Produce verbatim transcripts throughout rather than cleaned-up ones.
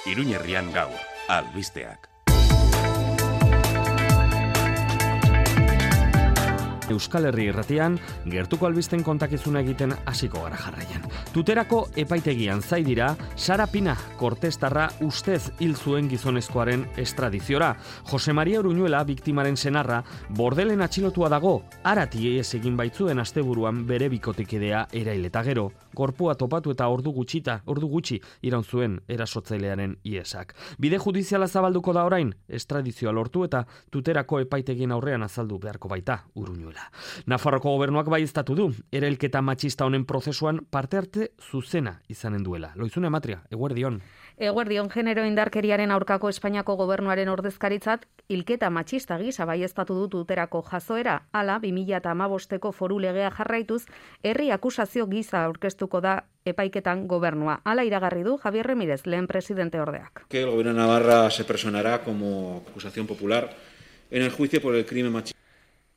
Iruñerrian gaur, albisteak. Euskal Herri Irratian, gertuko albisten kontakizuna egiten hasiko gara jarraian. Tuterako epaitegian zai dira, Sara Pina, kortestarra ustez hil zuen gizonezkoaren estradiziora. Jose Maria Uruñuela, biktimaren senarra, bordelen atxilotua dago, arati ez egin baitzuen asteburuan bere bikotekidea erail eta gero. Gorpua topatu eta ordu gutxita, ordu gutxi iraun zuen erasotzailearen iesak. Bide judiziala zabalduko da orain, estradizioa lortu eta tuterako epaitegien aurrean azaldu beharko baita Uruñuela. Nafarroko gobernuak baieztatu du, erailketa matxista honen prozesuan parte arte zuzena izanen duela. Loizune Matria, eguerdion. Eguerdion, genero indarkeriaren aurkako Espainiako gobernuaren ordezkaritzat hilketa matxista gisa baieztatu du tuterako jazoera, hala bi mila hamabosteko foru legea jarraituz, herri akusazio gisa aurkeztuko da epaiketan gobernua. Hala iragarri du Javier Remírez, lehen presidente ordeak. Que el gobierno de Navarra se personará como acusación popular en el juicio por el crimen machista.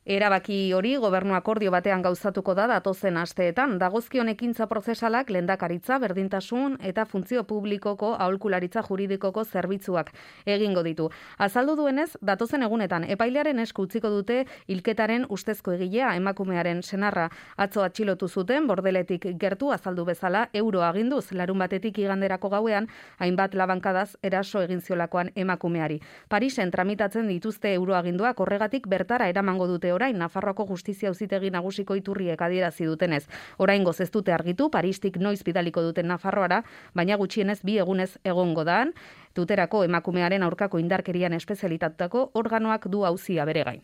Erabaki hori gobernu akordio batean gauzatuko da datozen asteetan. Dagozkion ekintza prozesalak lehendakaritza, berdintasun eta funtzio publikoko aholkularitza juridikoko zerbitzuak egingo ditu. Azaldu duenez, datozen egunetan epailearen esku utziko dute hilketaren ustezko egilea emakumearen senarra. Atzo atxilotu zuten bordeletik gertu azaldu bezala euro aginduz larun batetik iganderako gauean hainbat labankadaz eraso egin ziolakoan emakumeari. Parisen tramitatzen dituzte euro aginduak horregatik bertara eramango dute orain Nafarroako Justizia Auzitegi Nagusiko iturriek adierazi dutenez. Oraingoz ez dute argitu Paristik noiz bidaliko duten Nafarroara, baina gutxienez bi egunez egongo daan. Tuterako emakumearen aurkako indarkerian espezialitatutako organoak du auzia bere gain.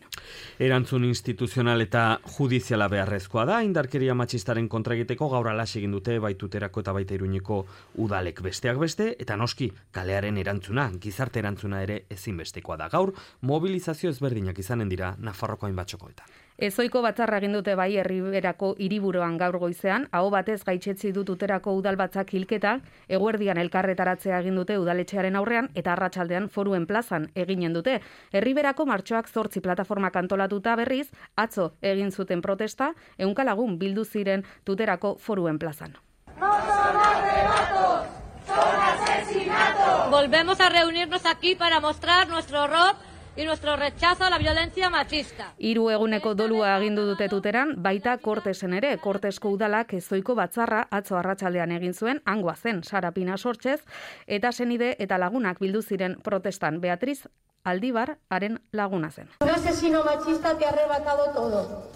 Erantzun instituzional eta judiziala beharrezkoa da, indarkeria matxistaren kontra egiteko gaur alas egin dute bai Tuterako eta baita Iruñeko udalek besteak beste, eta noski kalearen erantzuna, gizarte erantzuna ere ezinbestekoa da. Gaur mobilizazio ezberdinak izanen dira Nafarroko hainbat txokoetan. Ezoiko batzarra egin dute bai Herriberako hiriburuan gaur goizean, aho batez gaitzetsi du Tuterako udalbatzak hilketa, eguerdian elkarretaratzea egin dute udaletxearen aurrean eta arratsaldean Foruen plazan eginen dute. Herriberako martxoak zortzi plataformak antolatuta berriz, atzo egin zuten protesta, ehunka lagun bildu ziren Tuterako Foruen plazan. No son arrebatos, son asesinatos. Volvemos a reunirnos aquí para mostrar nuestro horror y nuestro rechazo a la violencia machista. Hiru eguneko dolua agindu dute Tuteran, baita Kortesen ere. Kortesko udalak ezoiko batzarra atzo arratsaldean egin zuen, hangoa zen Sara Pina sortzez, eta senide eta lagunak bildu ziren protestan. Beatriz Aldibar haren laguna zen. Un asesino machista te ha arrebatado todo.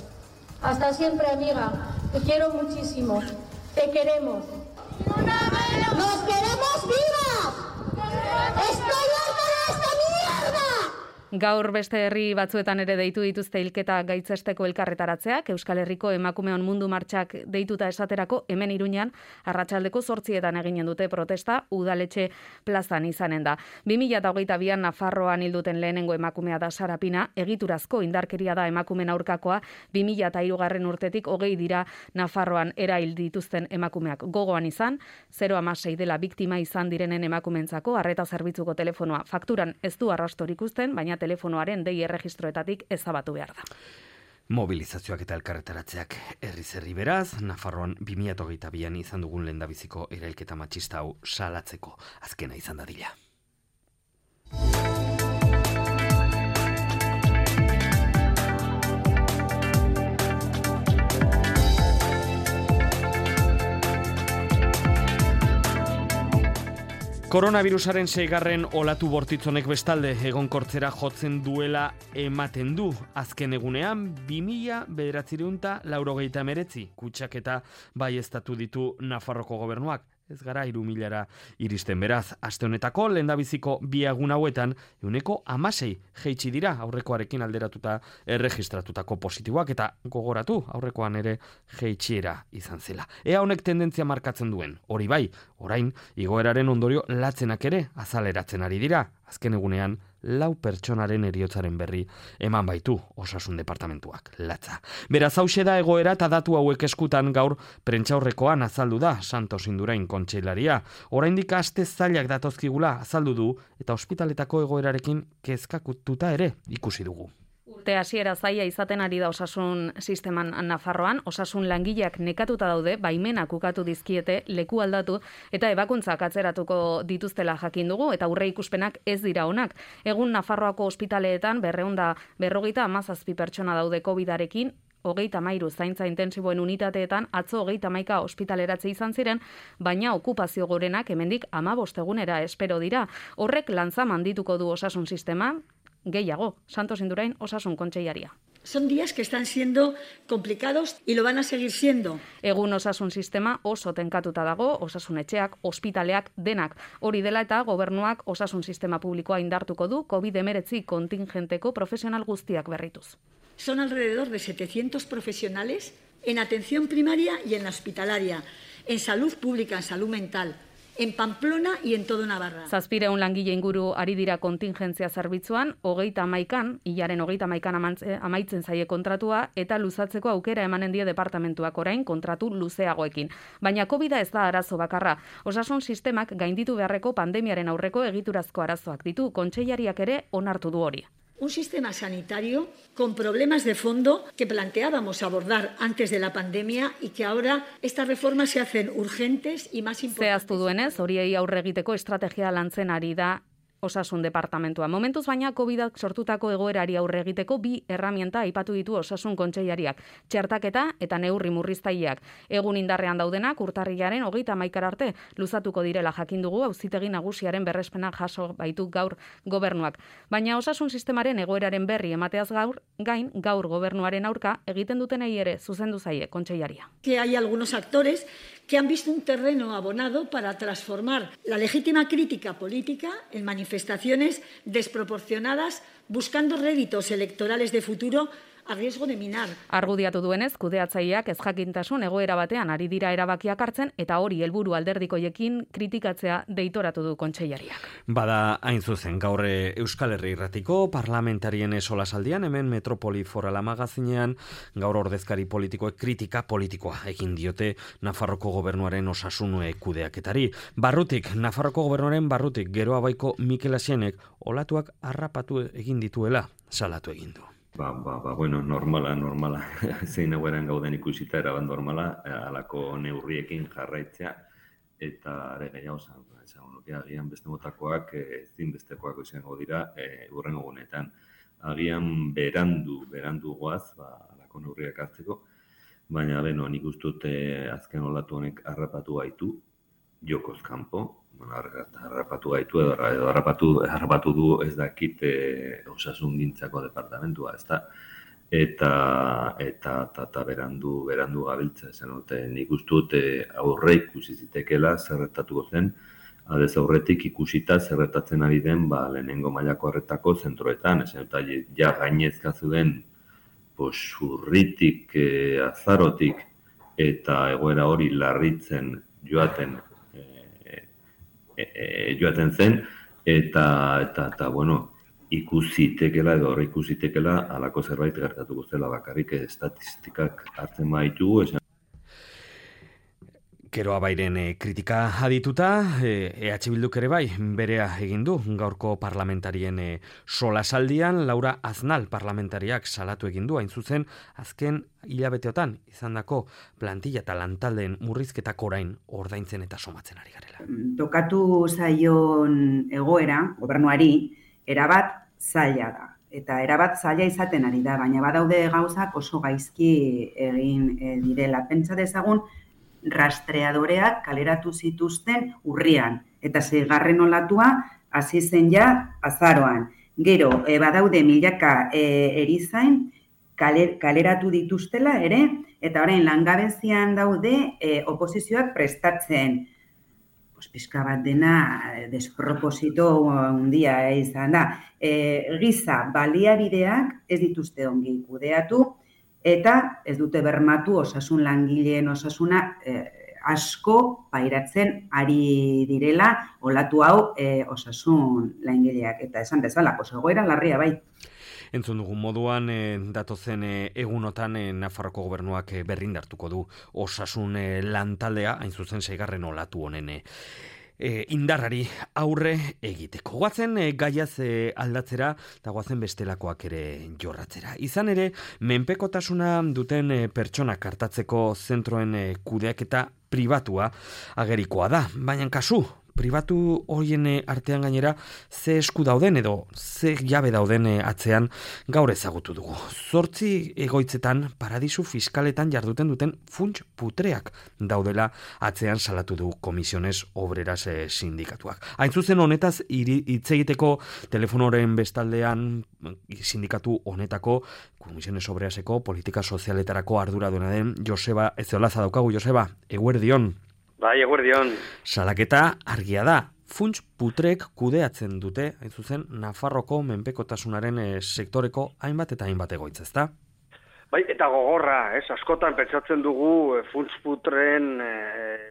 Hasta siempre, amiga. Te quiero muchísimo. Te queremos. ¡Nos queremos vivas! ¡Estoy harta de esta mierda! Gaur beste herri batzuetan ere deitu dituzte hilketa gaitzesteko elkarretaratzeak, Euskal Herriko emakumeon mundu martxak deituta esaterako hemen Iruñan arratsaldeko zortzietan eginen dute protesta udaletxe plazan izanen da. bi mila hogeita bian Nafarroan hilduten lehenengo emakumea da Sara Pina, egiturazko indarkeria da emakumen aurkakoa, bi mila hirugarren urtetik hogei dira Nafarroan erail dituzten emakumeak. Gogoan izan, zero koma hamasei dela biktima izan direnen emakumentzako arreta zerbitzuko telefonoa. Fakturan ez du arrastorik uzten, baina telefonoaren dei erregistroetatik ezabatu behar da. Mobilizazioak eta elkarretaratzeak herriz herri beraz, Nafarroan bi mila hogeita bian izan dugun lehendabiziko erailketa matxista hau salatzeko azkena izan dadila. Koronavirusaren seigarren olatu bortitzonek bestalde egonkortzera jotzen duela ematen du. Azken egunean, bi mila bederatziehun eta laurogeita hemeretzi kutsaketa baieztatu ditu Nafarroko gobernuak. Ez gara hiru milara iristen beraz. Aste honetako lehendabiziko bi egun hauetan ehuneko hamasei jaitsi dira aurrekoarekin alderatuta erregistratutako positiboak eta gogoratu aurrekoan ere jaitsiera izan zela. Ea honek tendentzia markatzen duen. Hori bai, orain igoeraren ondorio latzenak ere azaleratzen ari dira. Azken egunean lau pertsonaren heriotzaren berri eman baitu osasun departamentuak, latza. Beraz hauxe da egoera eta datu hauek eskutan gaur prentsaurrekoan azaldu da Santos Indurain kontseilaria. Oraindik aste zailak datozkigula azaldu du eta ospitaletako egoerarekin kezkatuta ere ikusi dugu. urte hasiera zaila izaten ari da osasun sisteman Nafarroan, osasun langileak nekatuta daude, baimenak ukatu dizkiete, leku aldatu eta ebakuntzak atzeratuko dituztela jakin dugu eta aurre ikuspenak ez dira onak. Egun Nafarroako ospitaleetan berrehun eta berrogeita hamazazpi pertsona daude kovidarekin, hogeita hamairu zaintza intensiboen unitateetan atzo hogeita hamaika ospitaleratze izan ziren, baina okupazio gorenak hemendik hamabost egunera espero dira. Horrek lantza mandituko du osasun sistema, gehiago, Santos Indurain osasun kontseilaria. Son días que están siendo complicados y lo van a seguir siendo. Egun osasun sistema oso tenkatuta dago, osasun etxeak, ospitaleak, denak. Hori dela eta gobernuak osasun sistema publikoa indartuko du covid hemeretzi kontingenteko profesional guztiak berrituz. Son alrededor de setecientos profesionales en atención primaria y en la hospitalaria, en salud pública, en salud mental, en Pamplona y en todo Navarra. Zazpireun langile inguru ari dira kontingentzia zerbitzuan, hogeita hamaikan, hilaren hogeita hamaikan amaitzen zaie kontratua, eta luzatzeko aukera emanen die departamentuak orain kontratu luzeagoekin. Baina covida ez da arazo bakarra. Osasun sistemak gainditu beharreko pandemiaren aurreko egiturazko arazoak ditu, kontseilariak ere onartu du hori. Un sistema sanitario con problemas de fondo que planteábamos abordar antes de la pandemia y que ahora estas reformas se hacen urgentes y más importantes. Zehaztu duenez, horiei aurre egiteko estrategia lantzen ari da osasun departamentua. Momentuz baina covidak sortutako egoerari aurre egiteko bi erramienta aipatu ditu osasun kontseilariak, txertaketa eta neurri murriztaileak. Egun indarrean daudenak urtarrilaren hogeita hamaikara arte luzatuko direla jakin dugu auzitegi nagusiaren berrespena jaso baitu gaur gobernuak. Baina osasun sistemaren egoeraren berri emateaz gaur gain gaur gobernuaren aurka egiten dutenei ere zuzendu zaie kontseilaria. Que hay algunos actores que han visto un terreno abonado para transformar la legítima crítica política en manifestaciones desproporcionadas buscando réditos electorales de futuro a riesgo de minar. Argudiatu duenez, kudeatzaileak ez jakintasun egoera batean ari dira erabakiak hartzen eta hori helburu alderdikoiekin kritikatzea deitoratu du kontseilariak. Bada hain zuzen gaur Euskal Herri Irratiko parlamentarien solasaldian hemen Metropoli Forala magazinean gaur ordezkari politikoek kritika politikoa egin diote Nafarroko gobernuaren osasun kudeaketari. Barrutik, Nafarroko gobernuaren barrutik Geroa Baiko Mikel Asienek olatuak harrapatu egin dituela salatu egin du. Ba, ba, ba, bueno, normala, normala, zein egoeran gauden ikusita eraban normala, halako neurriekin jarraitzea, eta are gehiago zan, esan nuke agian beste motakoak, ezin bestekoak izango dira, e, urrengo gunetan. Agian berandu, berandu goaz, ba, halako neurriak hartzeko, baina, beno, nik ustut e, azken olatu honek harrapatu gaitu, jokoz kanpo, bueno, harrapatu gaitu edo harrapatu, harrapatu du ez dakit e, osasungintzako departamentua, ezta? Eta eta eta, eta berandu berandu gabiltza esan dute. Nik uste dut e, aurre ikusi zitekeela zerretatuko zen, aldez aurretik ikusita zerretatzen ari den ba lehenengo mailako arretako zentroetan, esan dut ja gainezka zuen pues urritik, e, azarotik eta egoera hori larritzen joaten E, e, joaten zen, eta, eta, eta bueno, ikusitekela edo horre ikusitekela halako zerbait gertatuko zela bakarrik estatistikak hartzen baitugu, esan. Geroa Bairen e, kritika adituta, e, EH Bilduk ere bai, berea egin du gaurko parlamentarien e, solasaldian, Laura Aznal parlamentariak salatu egin du, hain zuzen, azken hilabeteotan izandako plantilla eta lantaldeen murrizketak orain ordaintzen eta somatzen ari garela. Tokatu zaion egoera, gobernuari, erabat zaila da. Eta erabat zaila izaten ari da, baina badaude gauzak oso gaizki egin e, direla. Pentsa dezagun, rastreadoreak kaleratu zituzten urrian, eta seigarren olatua hasi zen ja azaroan. Gero, e, badaude milaka e, erizain kaler, kaleratu dituztela ere, eta orain langabezian daude e, oposizioak prestatzen. Pues, pizka bat dena desproposito handia izan da. E, giza baliabideak ez dituzte ongi kudeatu, eta ez dute bermatu osasun langileen osasuna eh, asko pairatzen ari direla olatu hau eh, osasun langileak. Eta esan bezala, egoera larria bai. Entzun dugun moduan, eh, datozen eh, egunotan eh, Nafarroko gobernuak eh, berrindartuko du osasun eh, lantaldea, hain zuzen seigarren olatu honen eh, E, indarrari aurre egiteko. Guazen e, gaiaz e, aldatzera eta guazen bestelakoak ere jorratzera. Izan ere, menpekotasuna duten e, pertsonak hartatzeko zentroen e, kudeaketa pribatua agerikoa da. Baina kasu, pribatu horien artean gainera ze esku dauden edo ze jabe dauden atzean gaur ezagutu dugu. Zortzi egoitzetan paradisu fiskaletan jarduten duten funts putreak daudela atzean salatu du Comisiones Obreras sindikatuak. Hain zuzen honetaz hitz egiteko telefonoren bestaldean sindikatu honetako Comisiones Obreraseko politika sozialetarako arduraduena den Joseba Ezeolaza daukagu. Joseba, eguerdion. Bai, eguerdion. Salaketa argia da. Funts putrek kudeatzen dute, hain zuzen, Nafarroko menpekotasunaren e, sektoreko hainbat eta hainbat egoitza, ezta? Bai, eta gogorra, ez, askotan pentsatzen dugu e, funts putren e,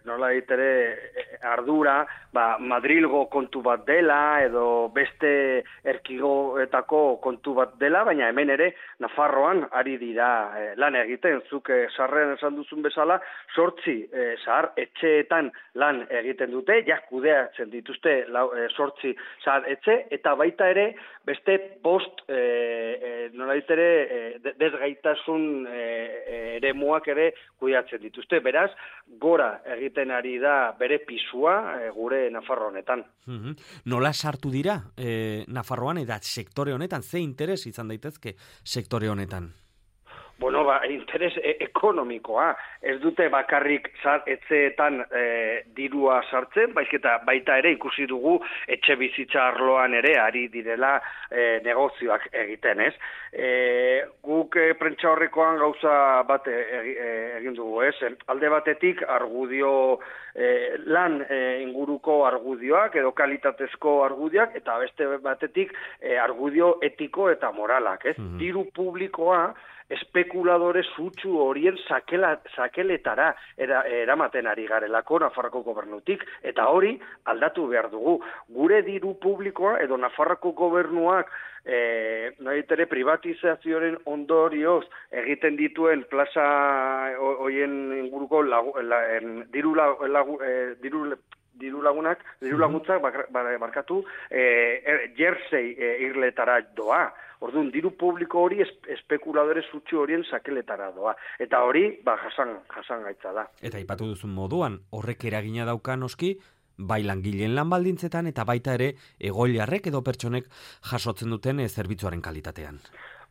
nola ditere e, ardura, ba, Madrilgo kontu bat dela, edo beste erkigoetako kontu bat dela, baina hemen ere Nafarroan ari dira e, lan egiten, zuk e, sarrean esan duzun bezala, sortzi e, zahar etxeetan lan egiten dute, ja kudeatzen dituzte lau, e, sortzi zahar etxe, eta baita ere beste bost e, e, nola ditere e, desgaitasun e, ere muak ere kudeatzen dituzte. Beraz, gora egiten ari da bere pisua e, gure Nafarro honetan. Mm-hmm. Nola sartu dira e, Nafarroan eta sektore honetan? Ze interes izan daitezke sektore honetan? Bueno, ba, interes e ekonomikoa. Ez dute bakarrik zar, etxeetan e, dirua sartzen, baizketa baita ere ikusi dugu etxe bizitza arloan ere ari direla e, negozioak egiten, ez? E, guk e, prentsa horrekoan gauza bat e, e, egin dugu, ez? Alde batetik argudio e, lan e, inguruko argudioak edo kalitatezko argudioak, eta beste batetik e, argudio etiko eta moralak, ez? Mm-hmm. Diru publikoa espekuladore sutsu horien sakela, sakeletara era, eramaten ari garelako Nafarroko gobernutik, eta hori aldatu behar dugu. Gure diru publikoa edo Nafarroko gobernuak e, nahitere privatizazioaren ondorioz egiten dituen plaza horien inguruko lagu, la, en, diru, lagu, eh, diru diru lagunak, diru laguntzak barkatu e, jersey e, irletara doa. Orduan, diru publiko hori espekuladore sutsu horien sakeletara doa. Eta hori, ba, jasan, jasan gaitza da. Eta aipatu duzun moduan, horrek eragina dauka noski, bai langileen lan baldintzetan, eta baita ere egoiliarrek edo pertsonek jasotzen duten e, zerbitzuaren kalitatean.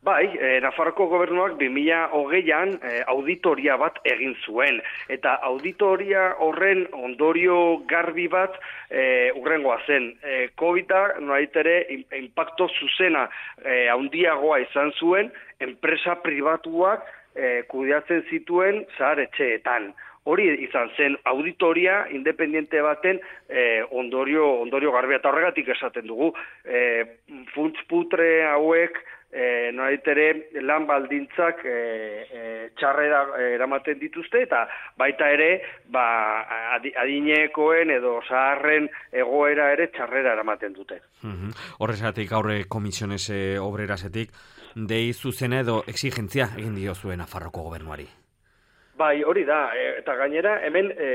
Bai, eh, Nafarroko gobernuak bi mila hogeian eh, auditoria bat egin zuen, eta auditoria horren ondorio garbi bat eh, urrengoa zen. Eh, Covida noaitere impacto zuzena eh, handiagoa izan zuen, enpresa pribatuak eh, kudeatzen zituen zahar etxeetan. Hori izan zen auditoria independiente baten eh, ondorio, ondorio garbia, eta horregatik esaten dugu. Eh, funts putre hauek E, noaitere lan baldintzak e, e, txarrera eramaten dituzte, eta baita ere ba, adinekoen edo zaharren egoera ere txarrera eramaten dute. Mm-hmm. Horrezatik aurre Comisiones Obrerasetik dei zuzena edo exigentzia egin diozuen Nafarroko gobernuari. Bai, hori da, e, eta gainera hemen e,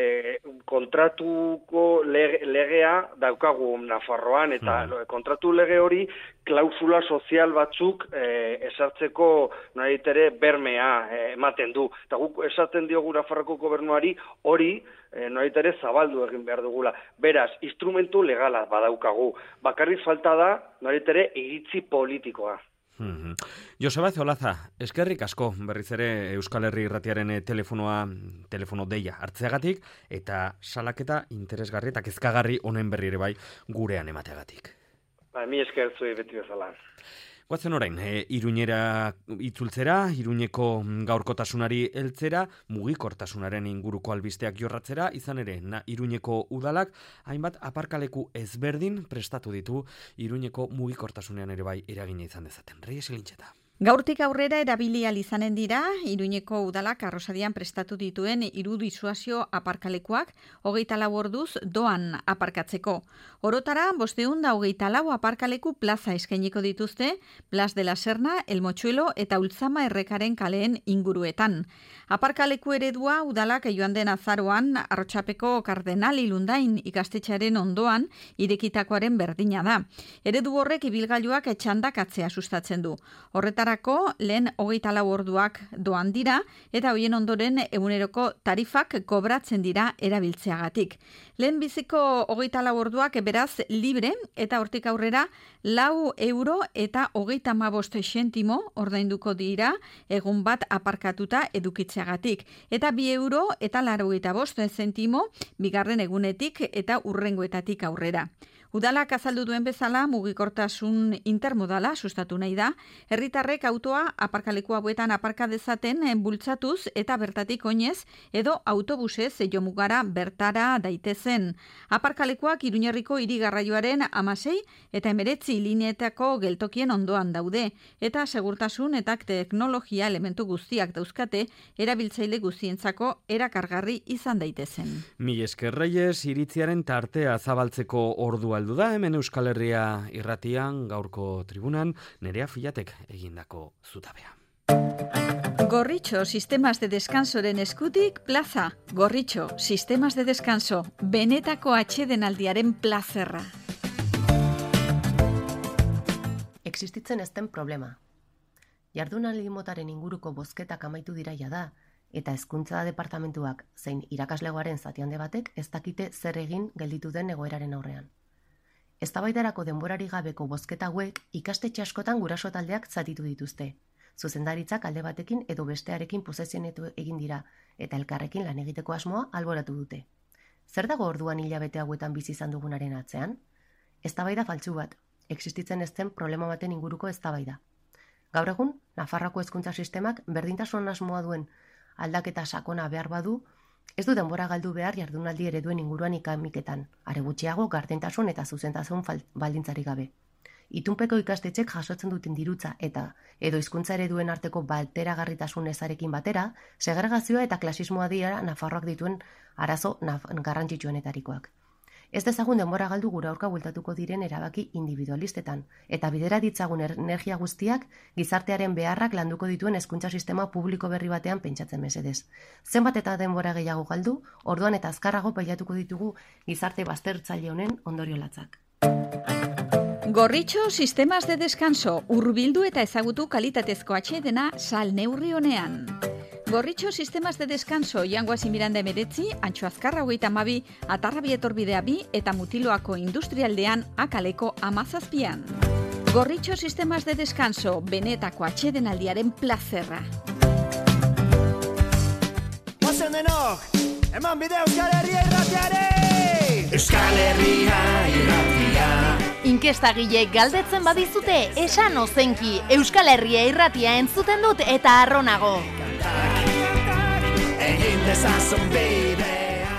kontratuko lege, legea daukagu Nafarroan, eta mm. kontratu lege hori klausula sozial batzuk e, esartzeko nahi ere bermea e, ematen du. Eta guk esaten diogu Nafarroko gobernuari hori e, nahi ere zabaldu egin behar dugula. Beraz, instrumentu legala badaukagu. Bakarrik falta da nahi ere iritzi politikoa. Mm-hmm. Joseba Ezeolaza, eskerrik asko berriz ere Euskal Herri Irratiaren telefonoa, telefono deia hartzeagatik, eta salaketa interesgarri eta kezkagarri honen berri ere bai gurean emateagatik. Ba, mi esker zuei beti bezala. Guatzen orain, e, Iruñera itzultzera, Iruñeko gaurkotasunari heltzera, mugikortasunaren inguruko albisteak jorratzera, izan ere, na, Iruñeko udalak, hainbat aparkaleku ezberdin prestatu ditu Iruñeko mugikortasunean ere bai eragina izan dezaten. Reyes Elintxeta. Gaurtik aurrera erabili ahal izanen dira, Iruñeko udalak arrosadian prestatu dituen hiru disuasio aparkalekuak hogeita lau orduz doan aparkatzeko. Orotara, bosteun da hogeita lau aparkaleku plaza eskainiko dituzte, Plas de la Serna, El Mochuelo eta Ultzama errekaren kaleen inguruetan. Aparkaleku eredua udalak joan den azaroan Arrotsapeko Kardenal Ilundain ikastetxearen ondoan irekitakoaren berdina da. Eredu horrek ibilgailuak txandakatzea sustatzen du. Horretara lehen hogeita lau orduak doan dira eta hoien ondoren eguneroko tarifak kobratzen dira erabiltzeagatik. Lehen biziko hogeita lau orduak beraz libre eta hortik aurrera lau euro eta hogeita hamabost zentimo ordainduko dira egun bat aparkatuta edukitzeagatik. Eta bi euro eta laurogeita bost zentimo bigarren egunetik eta hurrengoetatik aurrera. Udalak azaldu duen bezala mugikortasun intermodala sustatu nahi da, herritarrek autoa aparkaleku hauetan aparka dezaten bultzatuz eta bertatik oinez edo autobusez jomugara bertara daitezen. Aparkalekuak Iruñerriko hirigarraioaren hamasei eta hemeretzi lineetako geltokien ondoan daude eta segurtasun eta teknologia elementu guztiak dauzkate erabiltzaile guztientzako erakargarri izan daitezen. Mil esker Reyes, iritziaren tartea zabaltzeko ordua heldu da, hemen Euskal Herria irratian gaurko tribunan Nerea Filatek egindako zutabea. Gorritxo Sistemas de Descansoren eskutik plaza. Gorritxo Sistemas de Descanso, benetako atsedenaldiaren plazerra. Existitzen ez den problema. Jardunaldi motaren inguruko bozketak amaitu dira jada, eta hezkuntza departamentuak zein irakaslegoaren zati handi batek ez dakite zer egin gelditu den egoeraren aurrean. Eztabaidarako denborari gabeko bozketa hauek ikastetxe askotan guraso taldeak zatitu dituzte. Zuzendaritzak alde batekin edo bestearekin posizionetu egin dira eta elkarrekin lan egiteko asmoa alboratu dute. Zer dago orduan hilabete hauetan bizi izan dugunaren atzean? Eztabaida faltsu bat, existitzen ez den problema baten inguruko eztabaida. Gaur egun, Nafarroako hezkuntza sistemak berdintasun asmoa duen aldaketa sakona behar badu, ez du denbora galdu behar jardunaldi ereduen inguruan ikamiketan, are gutxiago gardentasun eta zuzentasun baldintzarik gabe. Itunpeko ikastetxek jasotzen duten dirutza eta edo hizkuntza ereduen arteko bateragarritasun ezarekin batera, segregazioa eta klasismoa dira Nafarroak dituen arazo garrantzitsuenetarikoak. Ez dezagun denbora galdu gure aurka bueltatuko diren erabaki individualistetan, eta bidera ditzagun energia guztiak gizartearen beharrak landuko dituen hezkuntza sistema publiko berri batean pentsatzen mesedez. Zenbat eta denbora gehiago galdu, orduan eta azkarrago pailatuko ditugu gizarte baztertzaile honen ondorio latzak. Gorritxo Sistemas de Descanso, hurbildu eta ezagutu kalitatezko atsedena sal neurri honean. Gorritxo Sistemas de Descanso, Jangoasi Miranda emeretzi, Antxo Azkarra hogeita hamabi, Atarrabi etorbidea bi eta Mutiloako industrialdean akaleko amazazpian. Gorritxo Sistemas de Descanso, benetako atsedenaldiaren plazerra. Ozen denok, eman bide Euskal Herria irratiare! Euskal Herria irratia! Inkestagile galdetzen badizute, esan ozenki, Euskal Herria irratia entzuten dut eta arronago. Egin dezazun bidea.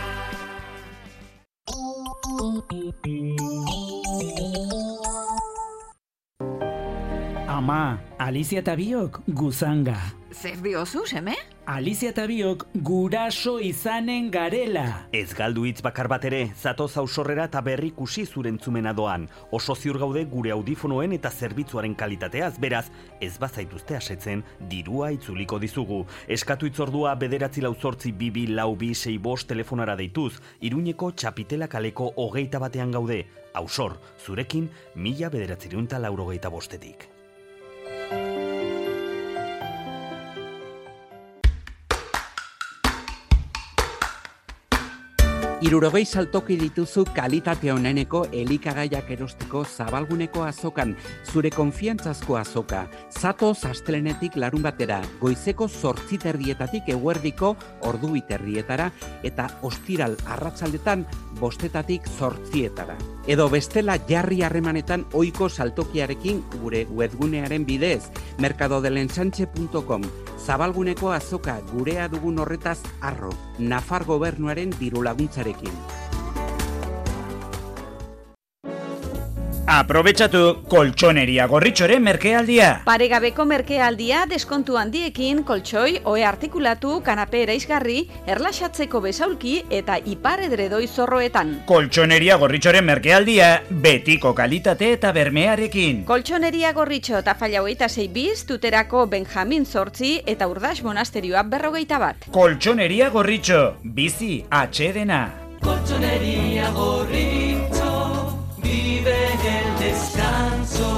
Ama, Alicia eta biok guzanga. Zer diozu, seme? Alicia eta biok guraso izanen garela. Ez galdu hitz bakar bat ere, zatoz ausorrera eta berrikusi zurentzumena doan. Oso ziur gaude gure audifonoen eta zerbitzuaren kalitateaz, beraz, ez bazaituzte asetzen, dirua itzuliko dizugu. Eskatu itzordua bederatzi lau zortzi bibi lau bi sei bost telefonara deituz, Iruñeko Txapitela kaleko hogeita batean gaude. Ausor, zurekin, mila bederatzirunta laurogeita bostetik. Hirurogei saltoki dituzu kalitate oneneko elikagaiak erosteko Zabalguneko azokan, zure konfiantzazko azoka. Zatoz astelenetik larun batera, goizeko zortzi terdietatik eguerdiko ordu biterrietara eta ostiral arratsaldetan bostetatik zortzietara. Edo bestela jarri harremanetan ohiko saltokiarekin gure webgunearen bidez, mercadodelensanche punto com. Zabalguneko azoka gurea dugun horretaz arro, Nafar gobernuaren diru laguntzarekin. Aprobetxatu koltsoneria gorritxoren merkealdia. Paregabeko merkealdia deskontu handiekin koltsoi, ohe artikulatu, kanape eraisgarri, erlaxatzeko besaulki eta ipar edredoi zorroetan. Koltsoneria gorritxoren merkealdia betiko kalitate eta bermearekin. Koltsoneria gorritxo eta falla hogeita sei biz, tuterako Benjamin Zortzi eta Urdax monasterioa berrogeita bat. Koltsoneria gorritxo, bizi atxedena. Colchonería Gorritxo, vive el descanso.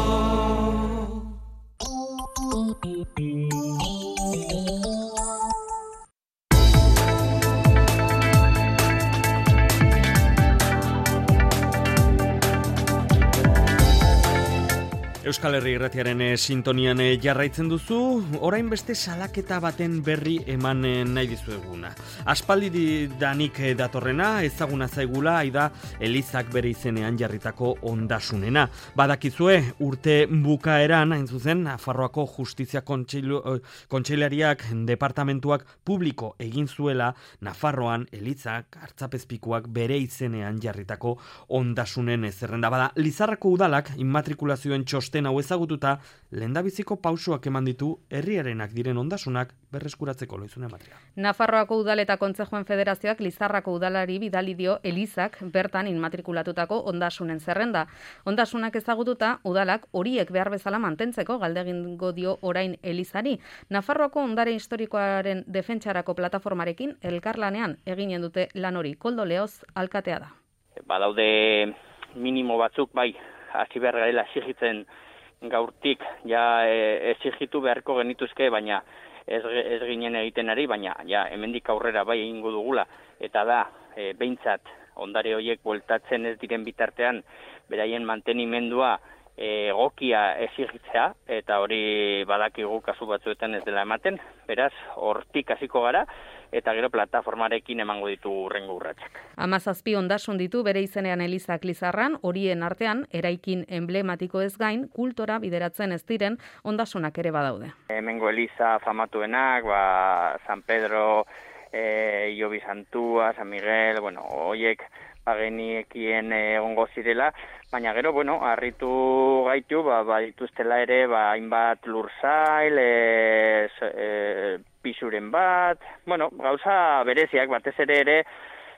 Euskal Herri Irratiaren sintonian jarraitzen duzu, orain beste salaketa baten berri eman nahi dizueguna. Aspaldi danik datorrena, ezaguna zaigula, aida Elizak bere izenean jarritako ondasunena. Badakizue, urte bukaeran, hain zuzen, Nafarroako Justizia Kontseilariak departamentuak publiko egin zuela, Nafarroan Elizak hartzapezpikuak bere izenean jarritako ondasunen zerrenda. Bada, Lizarrako udalak immatrikulazioen txosten hau ezagututa, lehendabiziko pausoak eman ditu herriarenak diren ondasunak berreskuratzeko Loizune Matria. Nafarroako udal eta Kontzejoen Federazioak Lizarrako udalari bidali dio Elizak bertan inmatrikulatutako ondasunen zerrenda. Ondasunak ezagututa, udalak horiek behar bezala mantentzeko galdegingo dio orain Elizari. Nafarroako ondare historikoaren defentsarako plataformarekin elkarlanean eginen dute lan hori. Koldo Leoz alkatea da. Badaude minimo batzuk bai, hasi behar garela exigitzen gaurtik ja e, exigitu beharko genituzke, baina ez, ez ginen egiten ari, baina ja hemendik aurrera bai egingo dugula, eta da e, behintzat ondare horiek bueltatzen ez diren bitartean beraien mantenimendua e, egokia exigitzea, eta hori badakigu kasu batzuetan ez dela ematen, beraz hortik hasiko gara, eta gero plataformarekin emango ditu urrengo urratsak. Hamazazpi ondasun ditu bere izenean Elizak Lizarran, horien artean eraikin emblematiko ez gain, kultora bideratzen ez diren ondasunak ere badaude. Hemengo Eliza famatuenak, ba, San Pedro, e, Iobi Santua, San Miguel, bueno, hoiek bageniekien egongo zirela, baina gero, bueno, harritu gaitu, ba, ba dituztela ere, ba, hainbat lursail, e, e, pisuren bat, bueno, gauza bereziak, batez ere ere,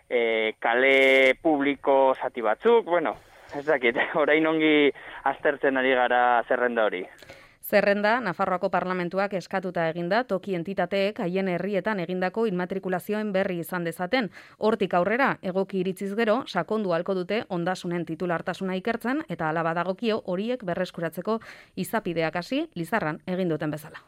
e, kale publiko zati batzuk, bueno, ez dakit, orain ongi aztertzen ari gara zerrenda hori. Zerrenda, Nafarroako Parlamentuak eskatuta eginda, toki entitateek haien herrietan egindako inmatrikulazioen berri izan dezaten. Hortik aurrera, egoki iritziz gero, sakondu halko dute ondasunen titulartasuna ikertzen, eta hala badagokio horiek berreskuratzeko izapideak hasi Lizarran egin duten bezala.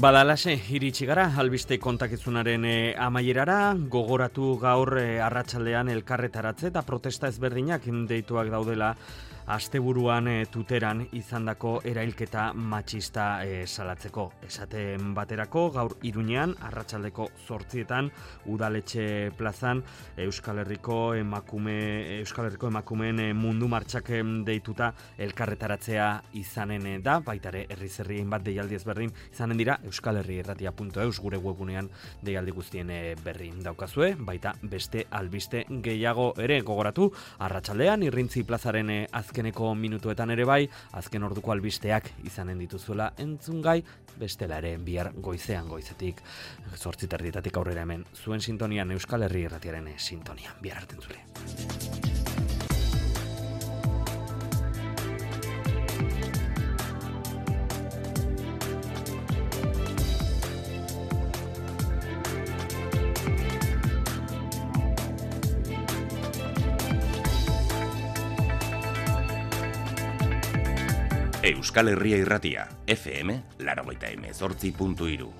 Badalase, iritsi gara, albiste kontakizunaren e, amaierara, gogoratu gaur e, arratsaldean elkarretaratze eta protesta ezberdinak deituak daudela asteburuan e, tuteran izandako erailketa matxista e, salatzeko. Esaten baterako, gaur Iruñean, arratsaldeko zortzietan, udaletxe plazan, Euskal Herriko emakume, Euskal Herriko emakumeen e, mundu martxak deituta elkarretaratzea izanen da, baitare herriz herrien bat deialdi ezberdin izanen dira, Euskal Herri Irratia puntu eus gure webunean deialdi guztien e, berri daukazue, baita beste albiste gehiago ere gogoratu, arratsaldean Irrintzi plazaren e, azkeneko minutuetan ere bai, azken orduko albisteak izanen dituzuela entzungai, bestela ere bihar goizean goizetik, zortzi terdietatik aurrera hemen, zuen sintonian Euskal Herri Irratiaren sintonian, bihar arte entzule. Euskal Herria Irratia, F M, laurogeita hemezortzi puntu hiru.